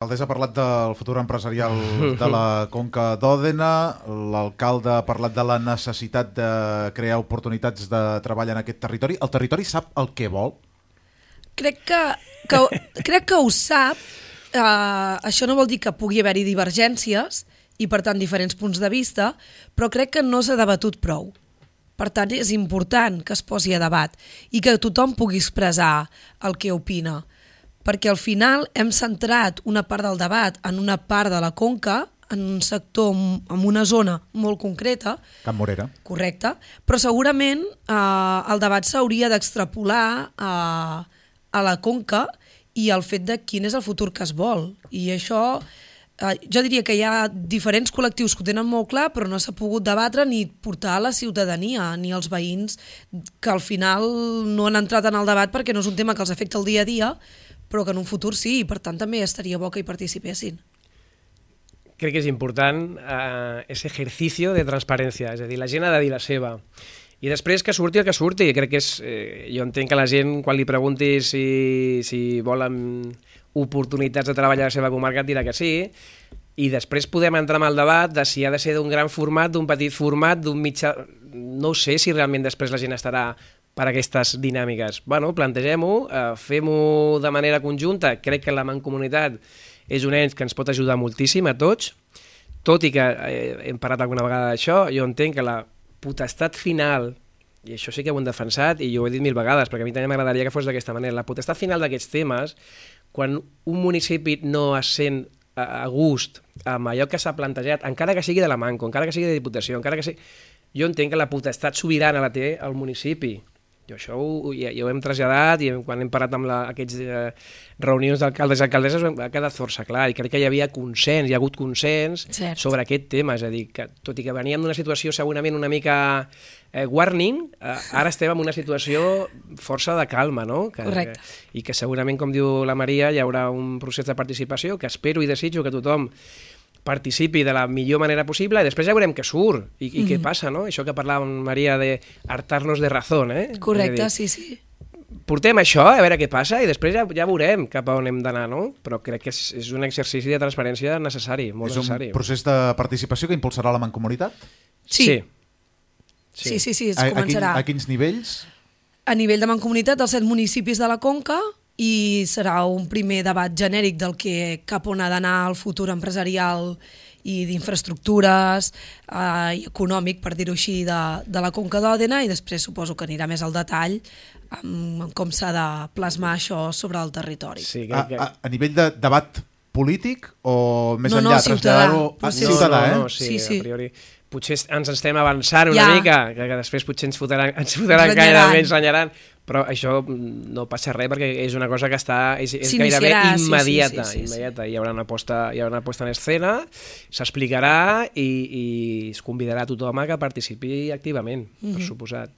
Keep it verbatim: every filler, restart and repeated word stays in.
L'alcaldessa ha parlat del futur empresarial de la Conca d'Òdena, l'alcalde ha parlat de la necessitat de crear oportunitats de treball en aquest territori. El territori sap el que vol? Crec que, que, crec que ho sap. Uh, això no vol dir que pugui haver-hi divergències i, per tant, diferents punts de vista, però crec que no s'ha debatut prou. Per tant, és important que es posi a debat i que tothom pugui expressar el que opina. Perquè al final hem centrat una part del debat en una part de la Conca, en un sector, en una zona molt concreta. Can Morera. Correcte. Però segurament eh, el debat s'hauria d'extrapolar a, a la Conca i al fet de quin és el futur que es vol. I això, eh, jo diria que hi ha diferents col·lectius que ho tenen molt clar, però no s'ha pogut debatre ni portar a la ciutadania, ni als veïns, que al final no han entrat en el debat perquè no és un tema que els afecta el dia a dia, però que en un futur sí, i per tant també estaria bo que hi participessin. Crec que és important eh, ese ejercicio de transparència, és a dir, la gent ha de dir la seva. I després que surti el que surti, crec que és... Eh, jo entenc que la gent, quan li pregunti si, si volen oportunitats de treballar a la seva comarca, et dirà que sí, i després podem entrar en el debat de si ha de ser d'un gran format, d'un petit format, d'un mitjà... No sé si realment després la gent estarà per aquestes dinàmiques. Bueno, plantegem-ho, eh, fem-ho de manera conjunta. Crec que la Mancomunitat és un ens que ens pot ajudar moltíssim a tots, tot i que eh, hem parlat alguna vegada d'això, jo entenc que la potestat final, i això sí que ho hem defensat, i jo ho he dit mil vegades, perquè a mi també m'agradaria que fos d'aquesta manera, la potestat final d'aquests temes, quan un municipi no es sent a gust amb allò que s'ha plantejat, encara que sigui de la Manco, encara que sigui de Diputació, encara que sigui... Jo entenc que la potestat sobirana la té el municipi. Jo això ho, ja, ja ho hem traslladat i quan hem parlat amb la, aquests eh, reunions d'alcaldes i alcaldesses ha quedat força clar i crec que hi havia consens, hi ha hagut consens Cert. sobre aquest tema, és a dir, que tot i que veníem d'una situació segurament una mica eh, warning, eh, ara estem en una situació força de calma, no? Que, Correcte. Que, i que segurament, com diu la Maria, hi haurà un procés de participació que espero i desitjo que tothom participi de la millor manera possible i després ja veurem què surt i, i mm. què passa, no? Això que parlava amb Maria de hartar-nos de razón, eh? Correcte, dir, sí, sí. Portem això, a veure què passa, i després ja, ja veurem cap a on hem d'anar, no? Però crec que és, és un exercici de transparència necessari, molt és necessari. És un procés de participació que impulsarà la Mancomunitat? Sí. Sí, sí, sí, sí, sí es a, començarà. A, quin, a quins nivells? A nivell de Mancomunitat, dels set municipis de la Conca, i serà un primer debat genèric del que cap on ha d'anar el futur empresarial i d'infraestructures eh, i econòmic, per dir-ho així, de, de la Conca d'Òdena, i després suposo que anirà més al detall amb, amb com s'ha de plasmar això sobre el territori. Sí, a, a, a nivell de debat polític o més no, enllà? No, ciutadà. A, ciutadà, no, eh? no, sí, sí, sí. A priori. Potser ens estem avançant una ja. mica, que, que després potser ens fotran, ens fotran gaire, ens renyaran, però això no passa res perquè és una cosa que està, és, és gairebé immediata, sí, sí, sí, immediata. sí. Hi haurà una posta, hi haurà una posta en escena, s'explicarà i, i es convidarà a tothom a que participi activament, mm-hmm. per suposat.